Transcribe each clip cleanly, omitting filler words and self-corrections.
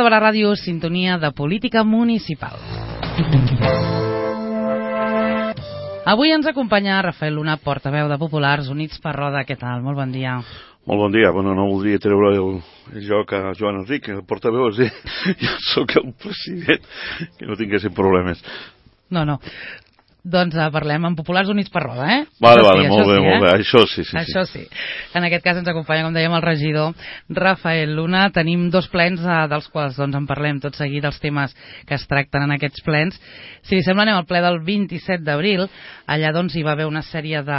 de Barà Ràdio, sintonia de política municipal. Avui ens acompanya Rafael Luna, portaveu de Populars Units per Roda. Què tal? Molt bon dia. Molt bon dia. Bueno, no voldria treure el joc a Joan Enric, el portaveu, és dir, jo sóc el president, que no tinguessin problemes. No. Doncs parlem amb Populars Units per Roda, eh? Vale, molt bé. Això sí. Això sí. En aquest cas ens acompanya, com dèiem, el regidor Rafael Luna. Tenim dos plens dels quals en parlem tot seguit, dels temes que es tracten en aquests plens. Si li sembla, anem al ple del 27 d'abril. Allà hi va haver una sèrie de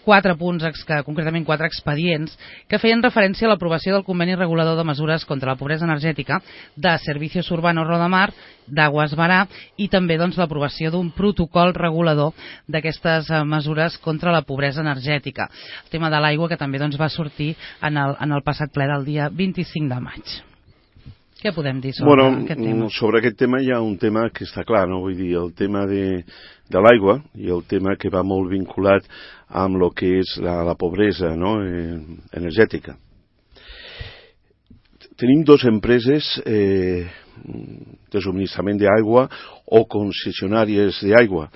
4 punts, concretament 4 expedients, que feien referència a l'aprovació del conveni regulador de mesures contra la pobresa energètica de Servicios Urbanos Rodamar, d'Aguas Barà, i també l'aprovació d'un protocol regulador d'aquestes mesures contra la pobresa energètica. El tema de l'aigua, que també va sortir en el passat ple del dia 25 de maig. Què podem dir sobre aquest tema? Sobre aquest tema hi ha un tema que està clar, no? Vull dir, el tema de l'aigua i el tema que va molt vinculat amb el que és la pobresa, no? Energètica. Tenim dues empreses de subministrament d'aigua o concessionàries d'aigua.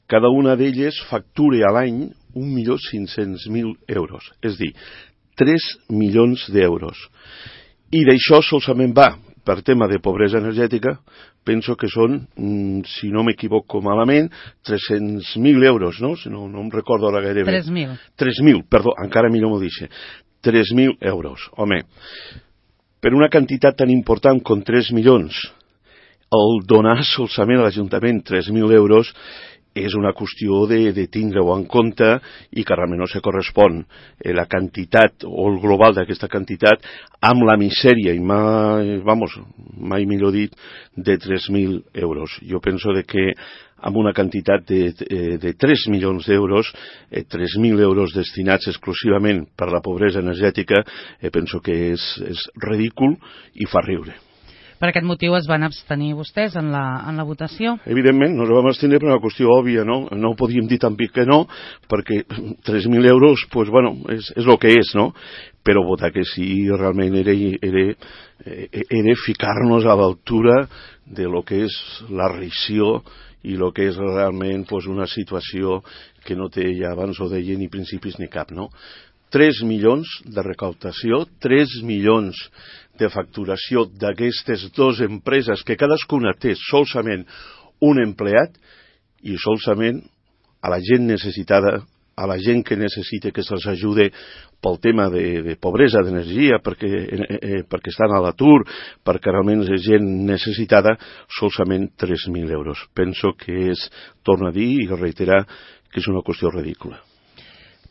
Cada una d'elles factura a l'any 1.500.000 euros, és a dir, 3 milions d'euros. I d'això solament va, per tema de pobresa energètica, penso que són, si no m'equivoco malament, 300.000 euros, no? Si no em recordo ara gairebé. 3.000. 3.000, perdó, encara millor m'ho dice. 3.000 euros, home. Per una quantitat tan important com 3 milions, el donar solament a l'Ajuntament 3.000 euros és una qüestió de tindre-ho en compte i que realment no se correspon la quantitat o el global d'aquesta quantitat amb la misèria, i mai millor dit, de 3.000 euros. Jo penso que amb una quantitat de 3 milions d'euros, 3.000 euros destinats exclusivament per la pobresa energètica, penso que és ridícul i fa riure. Per aquest motiu es van abstenir vostès en la votació? Evidentment, no ens vam abstenir per una qüestió òbvia, no? No ho podíem dir tampoc que no, perquè 3.000 euros, pues bueno, és el que és, no? Però votar que sí realment era ficar-nos a l'altura de lo que és la rissió i el que és realment una situació que no té, ja abans ho deia, ni principis ni cap, no? 3 milions de recaptació, 3 milions de facturació d'aquestes dues empreses que cadascuna té solament un empleat i solament a la gent necessitada, a la gent que necessita que se'ls ajude pel tema de pobresa d'energia, perquè estan a l'atur, perquè realment és gent necessitada, solament 3.000 euros. Penso que és, torno a dir i reiterar, que és una qüestió ridícula.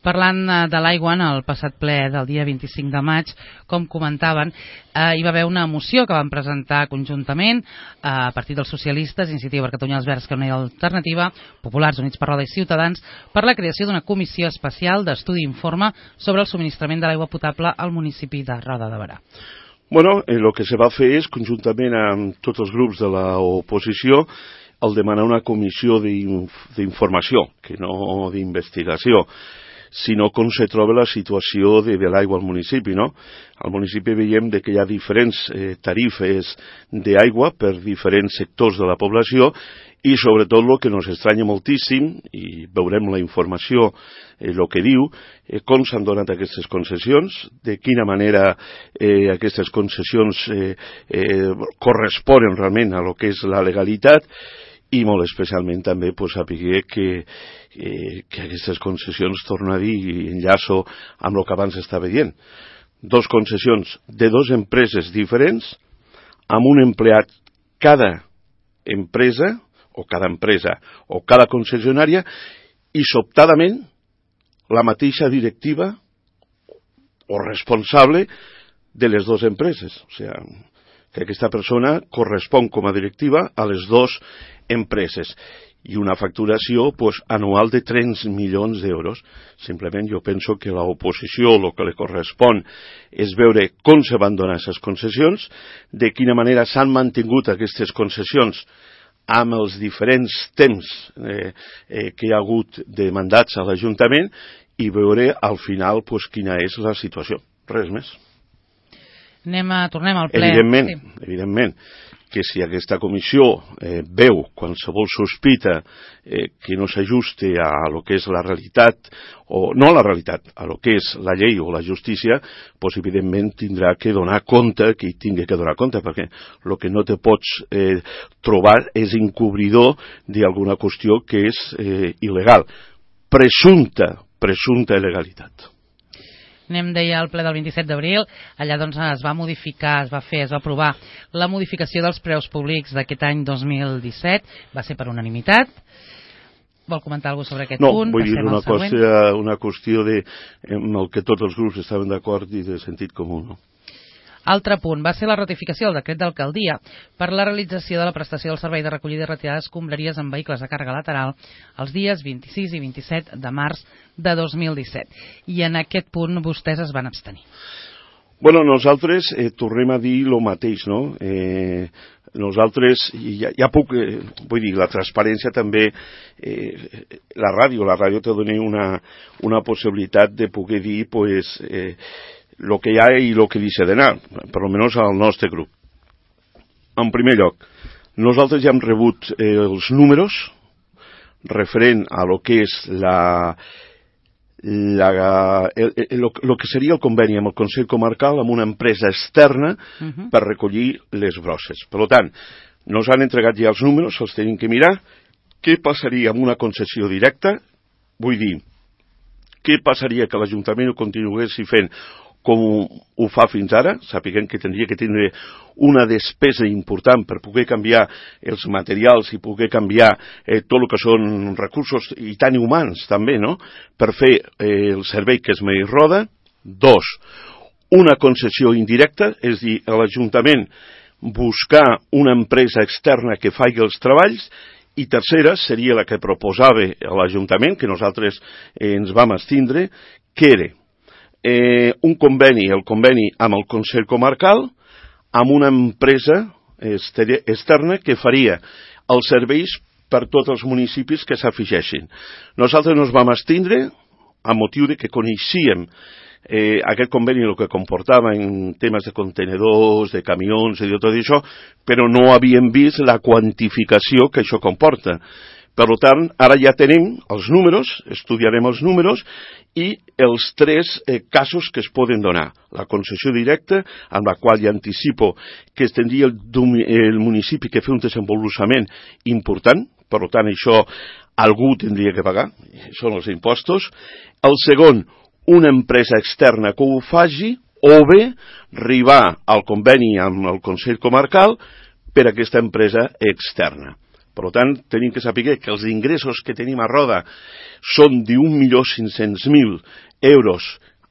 Parlant de l'aigua, en el passat ple del dia 25 de maig, com comentaven, hi va haver una moció que van presentar conjuntament a partir dels socialistes, Iniciativa per Catalunya, els Verds, que no hi ha alternativa, Populars Units per Roda i Ciutadans, per la creació d'una comissió especial d'estudi i informe sobre el subministrament de l'aigua potable al municipi de Roda de Barà. Bueno, el que se va fer és, conjuntament amb tots els grups de l'oposició, el demanar una comissió d'informació, que no d'investigació, sinó com se troba la situació de l'aigua al municipi, no? Al municipi veiem que hi ha diferents tarifes d'aigua per diferents sectors de la població i sobretot el que ens estranya moltíssim, i veurem la informació, el que diu, com s'han donat aquestes concessions, de quina manera aquestes concessions corresponen realment a lo que és la legalitat, i molt especialment també saber que aquestes concessions, torno a dir, i enllaço amb el que abans estava dient, dos concessions de dues empreses diferents, amb un empleat cada empresa, o cada concessionària, i sobtadament la mateixa directiva o responsable de les dues empreses. O sigui, que aquesta persona correspon com a directiva a les dues empreses i una facturació anual de 3 milions d'euros. Simplement jo penso que l'oposició el que li correspon és veure com se van donar aquestes concessions, de quina manera s'han mantingut aquestes concessions amb els diferents temps que hi ha hagut de mandats a l'Ajuntament i veure al final quina és la situació. Res més. Tornem al ple. Evidentment, que si aquesta comissió veu qualsevol sospita que no s'ajuste a lo que és la realitat, o no a la realitat, a lo que és la llei o la justícia, doncs evidentment tindrà que donar compte, que hi tingui que donar compte, perquè el que no te pots trobar és encobridor d'alguna qüestió que és il·legal. Presumpta il·legalitat. Deia al ple del 27 d'abril, allà doncs es va modificar, es va aprovar la modificació dels preus públics d'aquest any 2017, va ser per unanimitat. Vol comentar alguna cosa sobre aquest punt? No, vull dir una qüestió amb el que tots els grups estaven d'acord i de sentit comú, no? Altre punt va ser la ratificació del decret d'alcaldia per la realització de la prestació del servei de recollida i retirada d'escombraries en vehicles de càrrega lateral els dies 26 i 27 de març de 2017. I en aquest punt vostès es van abstenir. Bueno, nosaltres tornem a dir el mateix, no? Nosaltres, ja puc, vull dir, la transparència també, la ràdio te dona una possibilitat de poder dir, pues, lo que hi ha i lo que deixa d'anar, per almenys al nostre grup. En primer lloc, nosaltres ja hem rebut els números referent a lo que és lo que seria el conveni amb el Consell Comarcal amb una empresa externa per recollir les brosses. Per tant, nos han entregat ja els números, els tenim que mirar. Què passaria amb una concessió directa? Vull dir, què passaria que l'Ajuntament ho continués fent com ho fa fins ara, sapiguem que tindria que tindre una despesa important per poder canviar els materials i poder canviar tot el que són recursos i tant humans també, no?, per fer el servei que es mereix roda. 2, una concessió indirecta, és a dir, l'Ajuntament buscar una empresa externa que faci els treballs. I tercera seria la que proposava l'Ajuntament, que nosaltres ens vam abstindre, que era un conveni, el conveni amb el Consell Comarcal, amb una empresa externa que faria els serveis per tots els municipis que s'afegeixin. Nosaltres ens vam abstindre a motiu de que coneixíem aquest conveni el que comportava en temes de contenedors, de camions i de tot això, però no havíem vist la quantificació que això comporta. Per tant, ara ja tenim els números, estudiarem els números i els 3 casos que es poden donar. La concessió directa, amb la qual ja anticipo que es tindria el municipi que fer un desenvolupament important, per tant això algú tindria que pagar, són els impostos. El segon, una empresa externa que ho faci, o bé arribar al conveni amb el Consell Comarcal per a aquesta empresa externa. Per tant, tenim que saber que els ingressos que tenim a Roda són d'1.500.000 euros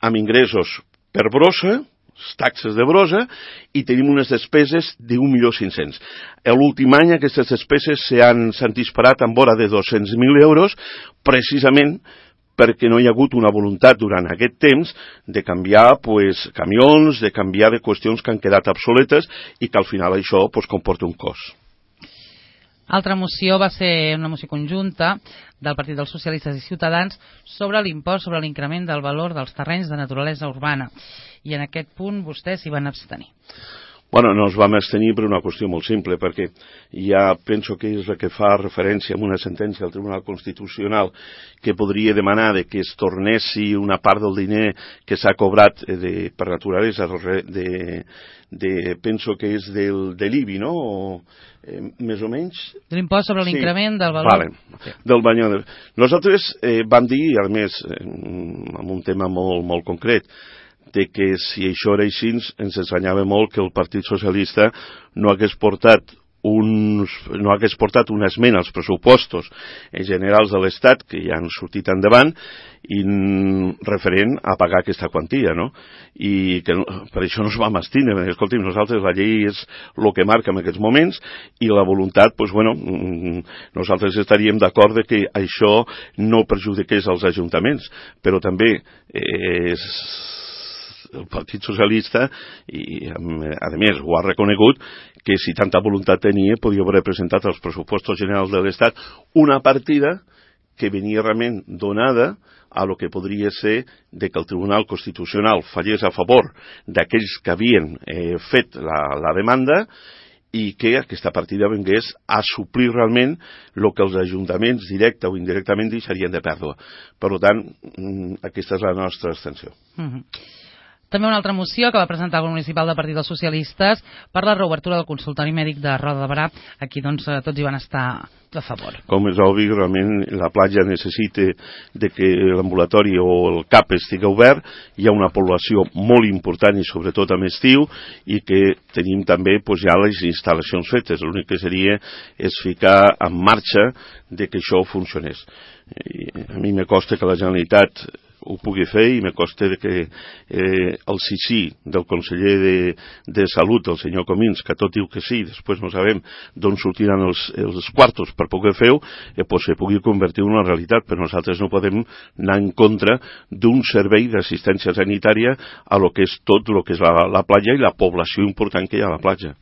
amb ingressos per brossa, taxes de brossa, i tenim unes despeses d'1.500.000. L'últim any aquestes despeses s'han disparat amb vora de 200.000 euros, precisament perquè no hi ha hagut una voluntat durant aquest temps de canviar camions, de canviar de qüestions que han quedat obsoletes i que al final això comporta un cost. Altra moció va ser una moció conjunta del Partit dels Socialistes i Ciutadans sobre l'impost sobre l'increment del valor dels terrenys de naturalesa urbana. I en aquest punt vostès s'hi van abstenir. Bueno, no ens vam abstenir per una qüestió molt simple, perquè ja penso que és la que fa referència a una sentència del Tribunal Constitucional que podria demanar que es tornessi una part del diner que s'ha cobrat per naturalesa, penso que és de l'IBI, no?, més o menys. De l'impost sobre l'increment del valor. Vale, del banyó. Nosaltres vam dir, a més, amb un tema molt, molt concret, de que si això era així ens ensenyava molt que el Partit Socialista no hagués portat una esmena als pressupostos generals de l'Estat, que ja han sortit endavant, i referent a pagar aquesta quantia, no? I que per això no es vam abstindre, perquè, escolti'm, nosaltres la llei és el que marca en aquests moments, i la voluntat, nosaltres estaríem d'acord que això no perjudiqués els ajuntaments, però també el Partit Socialista, i a més ho ha reconegut, que si tanta voluntat tenia podia haver presentat als pressupostos generals de l'Estat una partida que venia realment donada a lo que podria ser de que el Tribunal Constitucional fallés a favor d'aquells que havien fet la demanda i que aquesta partida vengués a suplir realment el que els ajuntaments, directe o indirectament, deixarien de pèrdua. Per tant, aquesta és la nostra abstenció. També una altra moció que va presentar el grup municipal del Partit dels Socialistes per la reobertura del consultori mèdic de Roda de Berà. Aquí doncs tots hi van estar a favor. Com és obvi, realment la platja necessita de que l'ambulatori o el CAP estigui obert. Hi ha una població molt important i sobretot amb estiu i que tenim també ja les instal·lacions fetes. L'únic que seria és ficar en marxa de que això funcionés. A mi me costa que la Generalitat ho pugui fer i me costa que el sí del conseller de Salut, el senyor Comins, que tot diu que sí, després no sabem d'on sortiran els quartos per poder fer-ho, se pugui convertir en una realitat, però nosaltres no podem anar en contra d'un servei d'assistència sanitària a lo que és tot el que és la platja i la població important que hi ha a la platja.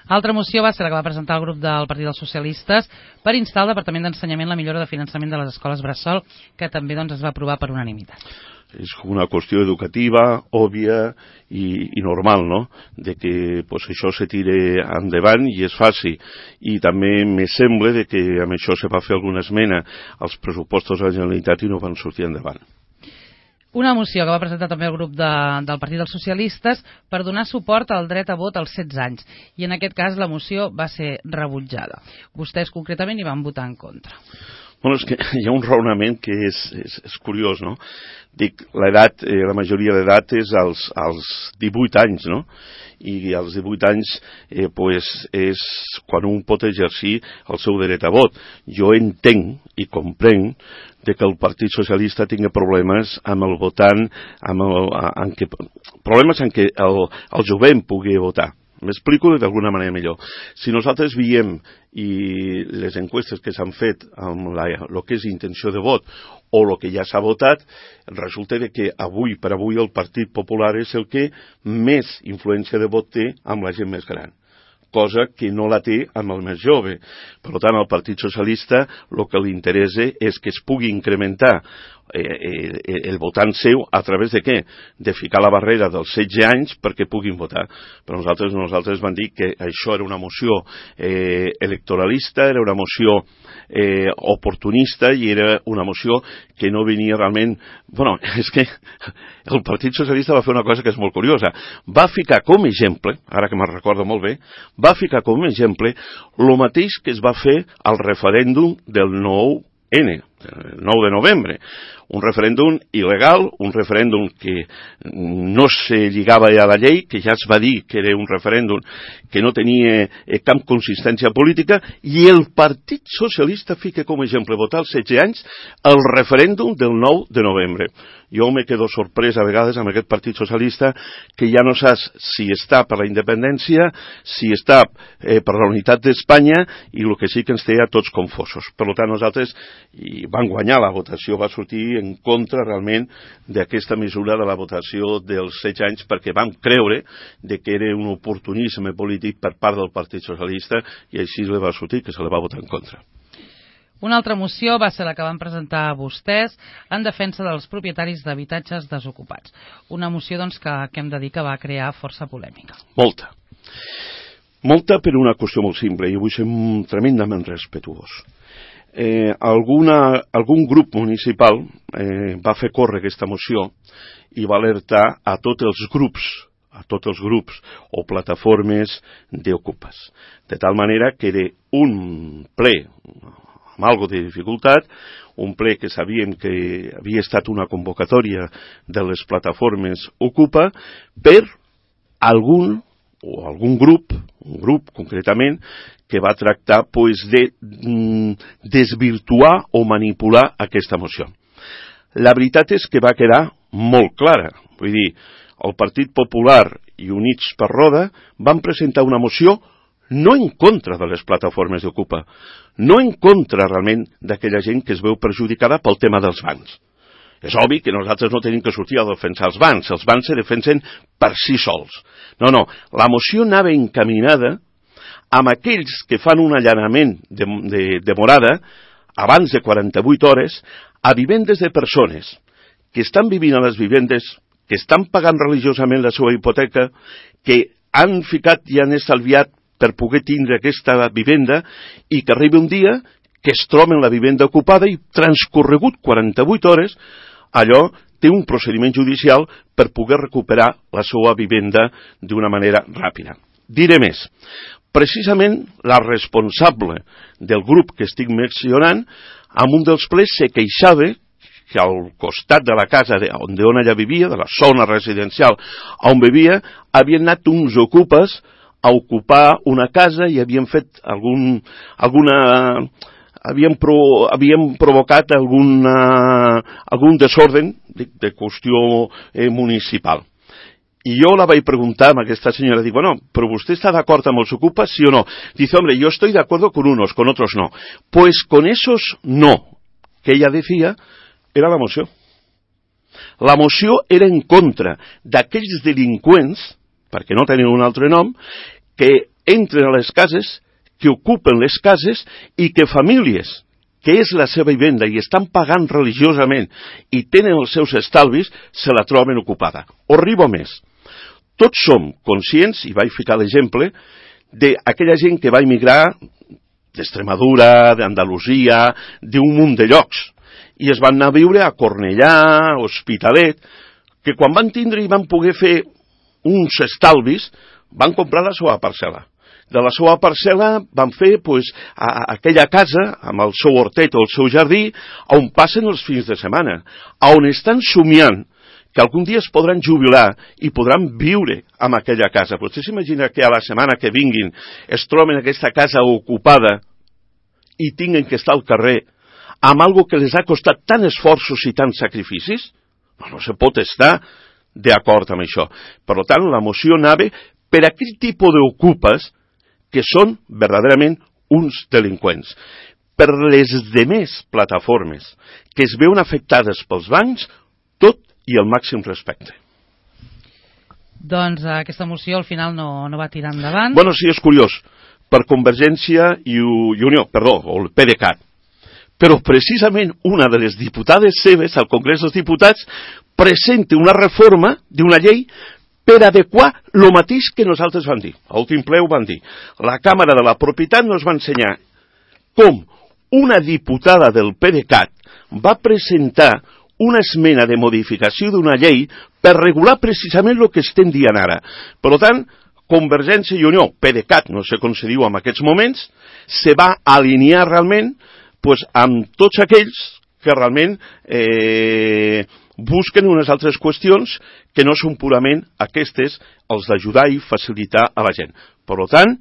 Altra moció va ser la que va presentar el grup del Partit dels Socialistes per instar al Departament d'Ensenyament la millora de finançament de les escoles bressol, que també es va aprovar per unanimitat. És una qüestió educativa, òbvia i normal, no?, de que això se tire endavant i es faci. I també me sembla que amb això se va fer alguna esmena als pressupostos de la Generalitat i no van sortir endavant. Una moció que va presentar també el grup del Partit dels Socialistes per donar suport al dret a vot als 16 anys. I en aquest cas la moció va ser rebutjada. Vostès concretament hi van votar en contra. Bueno, és que hi ha un raonament que és curiós, no? Dic, l'edat, la majoria d'edat és als 18 anys, no? I als 18 anys és quan un pot exercir el seu dret a vot. Jo entenc i comprenc que el Partit Socialista tingui problemes amb el votant, problemes en què el jovent pugui votar. M'explico d'alguna manera millor. Si nosaltres veiem i les enquestes que s'han fet amb el que és intenció de vot o el que ja s'ha votat, resulta que avui per avui el Partit Popular és el que més influència de vot té amb la gent més gran, cosa que no la té amb el més jove. Per tant, al Partit Socialista el que li interessa és que es pugui incrementar el votant seu a través de què? De ficar la barrera dels 16 anys perquè puguin votar. Però nosaltres vam dir que això era una moció electoralista, era una moció oportunista i era una moció que no venia realment... Bueno, és que el Partit Socialista va fer una cosa que és molt curiosa. Va ficar com a exemple, ara que me'n recordo molt bé, va ficar com a exemple el mateix que es va fer al referèndum del 9N, el 9 de novembre. Un referèndum il·legal, un referèndum que no se lligava a la llei, que ja es va dir que era un referèndum que no tenia cap consistència política, i el Partit Socialista fica com a exemple votar als 16 anys el referèndum del 9 de novembre. Jo me quedo sorprès a vegades amb aquest Partit Socialista que ja no saps si està per la independència, si està per la unitat d'Espanya, i el que sí que ens té a tots confosos. Per tant, nosaltres vam guanyar la votació, va sortir en contra realment d'aquesta mesura de la votació dels 16 anys perquè vam creure que era un oportunisme polític per part del Partit Socialista i així li va sortir que se li va votar en contra. Una altra moció va ser la que van presentar vostès en defensa dels propietaris d'habitatges desocupats. Una moció que hem de dir que va crear força polèmica. Molta. Molta per una qüestió molt simple i vull ser tremendament respetuós. Algun grup municipal va fer córrer aquesta moció i va alertar a tots els grups o plataformes d'ocupes. De tal manera que era un ple amb algo de dificultat, un ple que sabíem que havia estat una convocatòria de les plataformes Ocupa per algun grup, un grup concretament, que va tractar de desvirtuar o manipular aquesta moció. La veritat és que va quedar molt clara. Vull dir, el Partit Popular i Units per Roda van presentar una moció no en contra de les plataformes d'Ocupa, no en contra realment d'aquella gent que es veu perjudicada pel tema dels bancs. És obvi que nosaltres no tenim que sortir a defensar els bancs se defensen per si sols. No, la moció anava encaminada amb aquells que fan un allanament de morada abans de 48 hores, a vivendes de persones que estan vivint a les vivendes, que estan pagant religiosament la seva hipoteca, que han ficat i han estalviat per poder tindre aquesta vivenda i que arribi un dia que es troben la vivenda ocupada i transcorregut 48 hores, allò té un procediment judicial per poder recuperar la seva vivenda d'una manera ràpida. Diré més, precisament la responsable del grup que estic mencionant, en un dels plens se queixava que al costat de la casa on ella vivia, de la zona residencial on vivia, havien anat uns ocupes a ocupar una casa i havien fet havien provocat algun desorden de qüestió municipal. I jo la vaig preguntar a aquesta senyora, dic, bueno, però vostè està d'acord amb els ocupes, sí o no? Dice, hombre, yo estoy de acuerdo con unos, con otros no. Pues con esos no, que ella decía, era la moció. La moció era en contra d'aquells delinqüents, perquè no tenen un altre nom, que entren a les cases, que ocupen les cases i que famílies, que és la seva vivenda i estan pagant religiosament i tenen els seus estalvis, se la troben ocupada. O arribo més. Tots som conscients, i vaig ficar l'exemple, d'aquella gent que va emigrar d'Extremadura, d'Andalusia, d'un munt de llocs, i es van anar a viure a Cornellà, Hospitalet, que quan van tindre i van poder fer uns estalvis, van comprar la seva parcel·la. De la seva parcel·la van fer aquella casa, amb el seu hortet o el seu jardí, on passen els fins de setmana, on estan somiant que algun dia es podran jubilar i podran viure en aquella casa. Vostè s'imagina que a la setmana que vinguin es troben aquesta casa ocupada i tinguin que estar al carrer amb algo que les ha costat tant esforços i tants sacrificis? No se pot estar d'acord amb això. Per tant, la moció anava per aquell tipus d'ocupes que són verdaderament uns delinqüents. Per les demés plataformes que es veuen afectades pels bancs, tot i el màxim respecte. Doncs aquesta moció al final no va tirar endavant. Bueno, sí, és curiós. Per Convergència i Unió, o el PDeCAT. Però precisament una de les diputades seves al Congrés dels Diputats presenta una reforma d'una llei per adequar el mateix que nosaltres vam dir. A l'últim ple ho vam dir. La Càmera de la Propietat nos va ensenyar com una diputada del PDeCAT va presentar una esmena de modificació d'una llei per regular precisament el que estem dient ara. Per tant, Convergència i Unió, PDeCAT, no sé com se diu en aquests moments, se va alinear realment amb tots aquells que realment busquen unes altres qüestions que no són purament aquestes, els d'ajudar i facilitar a la gent. Per tant,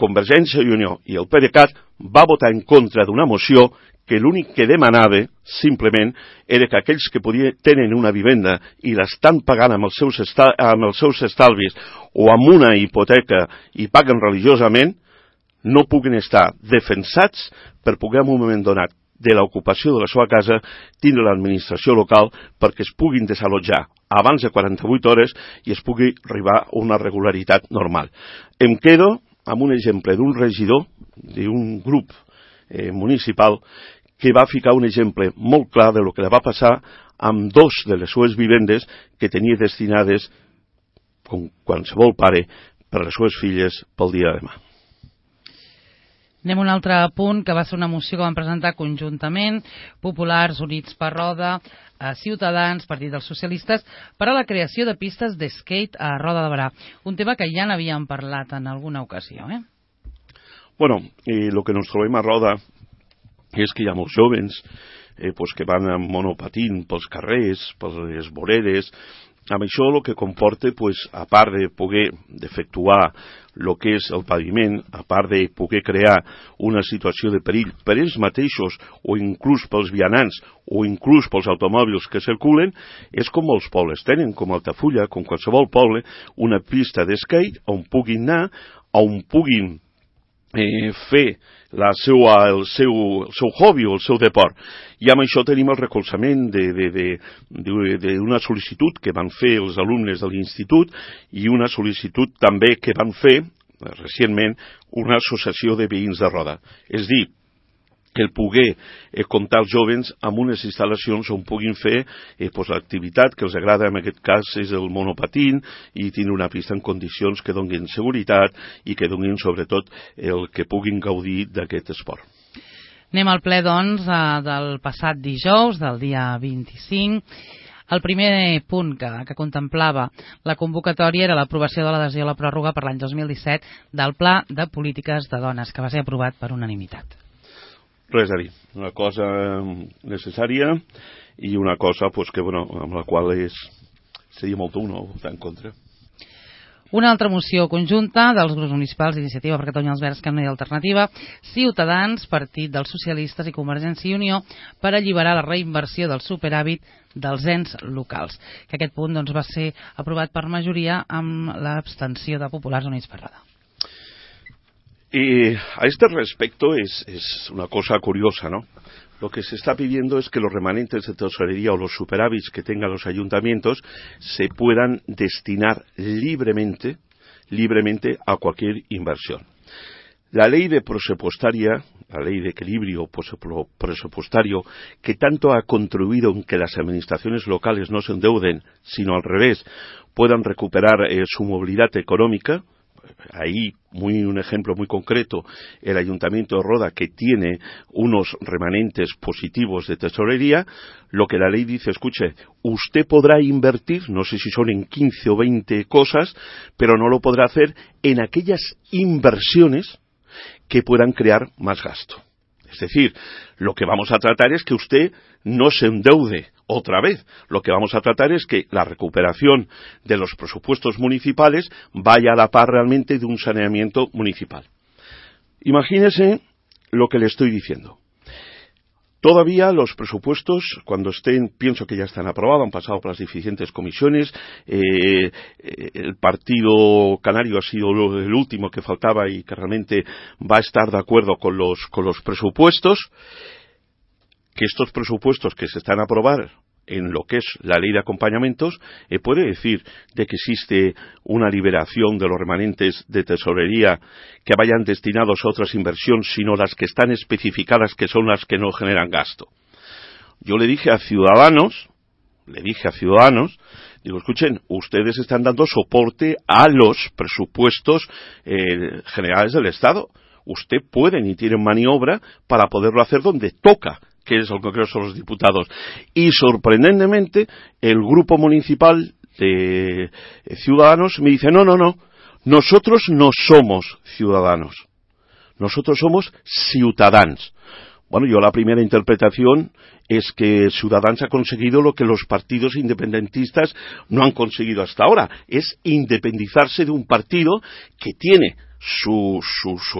Convergència i Unió i el PDeCAT va votar en contra d'una moció que l'únic que demanava, simplement, era que aquells que tenen una vivenda i l'estan pagant amb els seus estalvis o amb una hipoteca i paguen religiosament, no puguin estar defensats per poder en un moment donat de l'ocupació de la seva casa tindre l'administració local perquè es puguin desallotjar abans de 48 hores i es pugui arribar a una regularitat normal. Em quedo amb un exemple d'un regidor d'un grup municipal que va ficar un exemple molt clar de lo que va passar amb dos de les seues vivendes que tenia destinades, com qualsevol pare, per les seues filles pel dia de demà. Anem a un altre punt, que va ser una moció que van presentar conjuntament Populars, Units per Roda, Ciutadans, Partit dels Socialistes, per a la creació de pistes d'skate a Roda de Berà. Un tema que ja n'havíem parlat en alguna ocasió, Bueno, el que ens trobem a Roda és que hi ha molts jóvens que van amb monopatín pels carrers, per les voreres. Amb això el que comporta, a part de poder efectuar el que és el paviment, a part de poder crear una situació de perill per ells mateixos o inclús pels vianants o inclús pels automòbils que circulen, és com molts pobles tenen, com Altafulla, com qualsevol poble, una pista d'skate on puguin anar, on puguin fer el seu hobby o el seu deport. I amb això tenim el recolzament d'una sol·licitud que van fer els alumnes de l'institut i una sol·licitud també que van fer recentment una associació de veïns de Roda. És dir, que el poder comptar els jovens amb unes instal·lacions on puguin fer l'activitat que els agrada, en aquest cas és el monopatín, i tindre una pista en condicions que donin seguretat i que donin sobretot el que puguin gaudir d'aquest esport. Anem al ple, doncs, del passat dijous, del dia 25. El primer punt que contemplava la convocatòria era l'aprovació de l'adhesió a la pròrroga per l'any 2017 del Pla de Polítiques de Dones, que va ser aprovat per unanimitat. Res a dir, una cosa necessària i una cosa que, amb la qual seria molt dur no votar en contra. Una altra moció conjunta dels grups municipals d'Iniciativa per Catalunya, els Verds, Esquerra Unida i Alternativa, Ciutadans, Partit dels Socialistes i Convergència i Unió per alliberar la reinversió del superàvit dels ens locals. Que aquest punt va ser aprovat per majoria amb l'abstenció de Populars Units per Radar. Y a este respecto es una cosa curiosa, ¿no? Lo que se está pidiendo es que los remanentes de tesorería o los superávits que tengan los ayuntamientos se puedan destinar libremente a cualquier inversión. La ley de presupuestaria, la ley de equilibrio presupuestario, que tanto ha contribuido en que las administraciones locales no se endeuden, sino al revés, puedan recuperar su movilidad económica. Ahí, un ejemplo muy concreto, el Ayuntamiento de Roda, que tiene unos remanentes positivos de tesorería. Lo que la ley dice, escuche, usted podrá invertir, no sé si son en 15 o 20 cosas, pero no lo podrá hacer en aquellas inversiones que puedan crear más gasto. Es decir, lo que vamos a tratar es que usted no se endeude otra vez. Lo que vamos a tratar es que la recuperación de los presupuestos municipales vaya a la par realmente de un saneamiento municipal. Imagínese lo que le estoy diciendo. Todavía los presupuestos, cuando estén, pienso que ya están aprobados, han pasado por las diferentes comisiones. El Partido Canario ha sido el último que faltaba y que realmente va a estar de acuerdo con los presupuestos. Que estos presupuestos que se están a aprobar en lo que es la ley de acompañamientos, puede decir de que existe una liberación de los remanentes de tesorería que vayan destinados a otras inversiones, sino las que están especificadas, que son las que no generan gasto. Yo le dije a Ciudadanos, digo, escuchen, ustedes están dando soporte a los presupuestos generales del Estado. Usted pueden y tienen maniobra para poderlo hacer donde toca, que es el Congreso de los Diputados. Y sorprendentemente, el grupo municipal de Ciudadanos me dice, no, nosotros no somos ciudadanos, nosotros somos ciutadans. Bueno, yo la primera interpretación es que Ciudadanos ha conseguido lo que los partidos independentistas no han conseguido hasta ahora, es independizarse de un partido que tiene su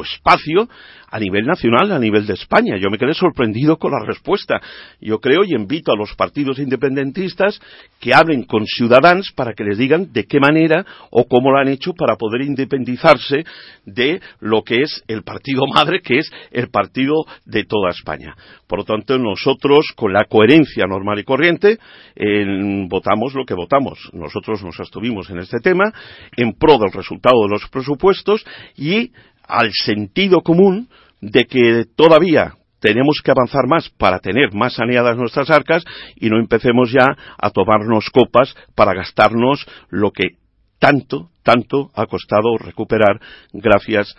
espacio a nivel nacional, a nivel de España. Yo me quedé sorprendido con la respuesta. Yo creo y invito a los partidos independentistas que hablen con Ciudadanos para que les digan de qué manera o cómo lo han hecho para poder independizarse de lo que es el partido madre, que es el partido de toda España. Por lo tanto, nosotros, con la coherencia normal y corriente, votamos lo que votamos. Nosotros nos abstuvimos en este tema en pro del resultado de los presupuestos y al sentido común de que todavía tenemos que avanzar más para tener más saneadas nuestras arcas y no empecemos ya a tomarnos copas para gastarnos lo que tanto ha costado recuperar gracias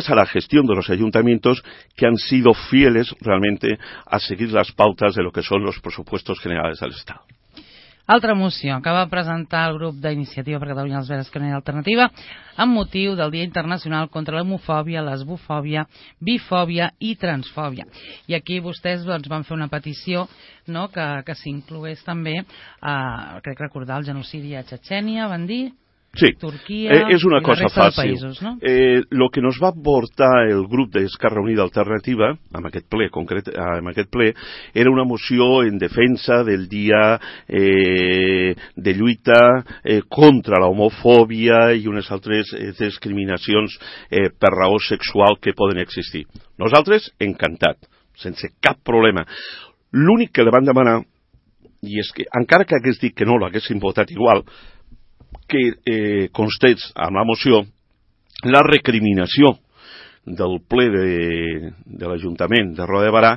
a la gestión de los ayuntamientos, que han sido fieles realmente a seguir las pautas de lo que son los presupuestos generales del Estado. Altra moció que va presentar el grup d'Iniciativa per Catalunya, els Verds, Esquerra Unida i Alternativa amb motiu del Dia Internacional contra l'homofòbia, lesbofòbia, bifòbia i transfòbia. I aquí vostès van fer una petició, no, que s'inclogués també, crec recordar, el genocidi a Txetxènia, van dir? Sí, Turquía es una y cosa la resta fàcil. de països, no? Lo que nos va aportar el grup d'Esquerra Unida Alternativa, en aquest ple, era una moció en defensa del dia de lluita contra la homofòbia i unes altres discriminacions per raó sexual que poden existir. Nosaltres, encantat, sense cap problema. L'únic que li van demanar, i és que, encara que hagués dit que no l'haguessin votat igual, que constés amb la moció la recriminació del ple de l'Ajuntament de Roda de Barà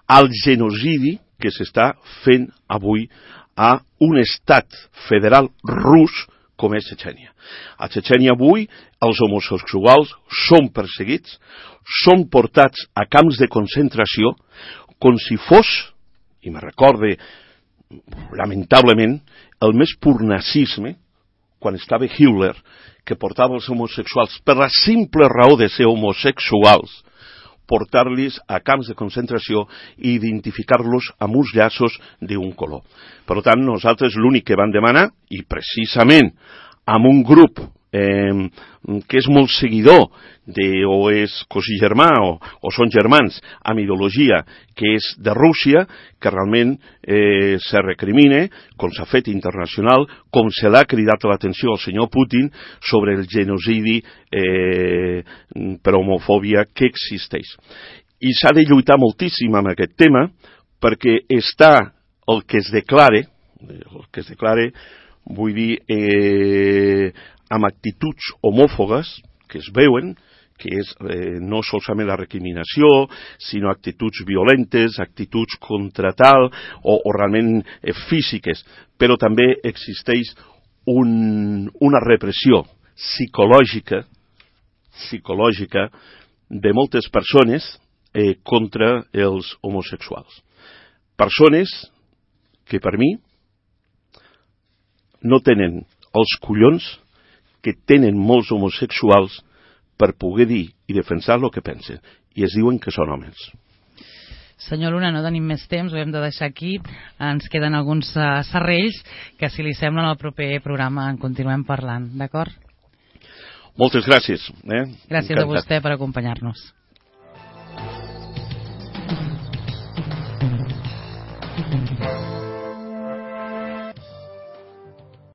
al genocidi que s'està fent avui a un estat federal rus com és Txetxènia. A Txetxènia avui els homosexuals són perseguits, són portats a camps de concentració com si fos, i me recorde lamentablement, el més pur nazisme, quan estava Hitler, que portava els homosexuals per la simple raó de ser homosexuals, portar-los a camps de concentració i identificar-los amb uns llaços d'un color. Per tant, nosaltres l'únic que vam demanar, i precisament amb un grup que és molt seguidor o és cosí germà o són germans amb ideologia que és de Rússia, que realment se recrimine, com s'ha fet internacional, com se l'ha cridat l'atenció al senyor Putin sobre el genocidi per homofòbia que existeix. I s'ha de lluitar moltíssim amb aquest tema perquè està el que es declare, vull dir, amb actituds homòfogues que es veuen, que és no solament la recriminació, sinó actituds violentes, actituds contra tal, o realment físiques. Però també existeix una repressió psicològica de moltes persones contra els homosexuals. Persones que per mi no tenen els collons que tenen molts homosexuals per poder dir i defensar el que pensen, i es diuen que són homes. Senyor Luna, no tenim més temps, ho hem de deixar aquí. Ens queden alguns serrells que, si li sembla, en el proper programa en continuem parlant, d'acord? Moltes gràcies. Gràcies a vostè per acompanyar-nos.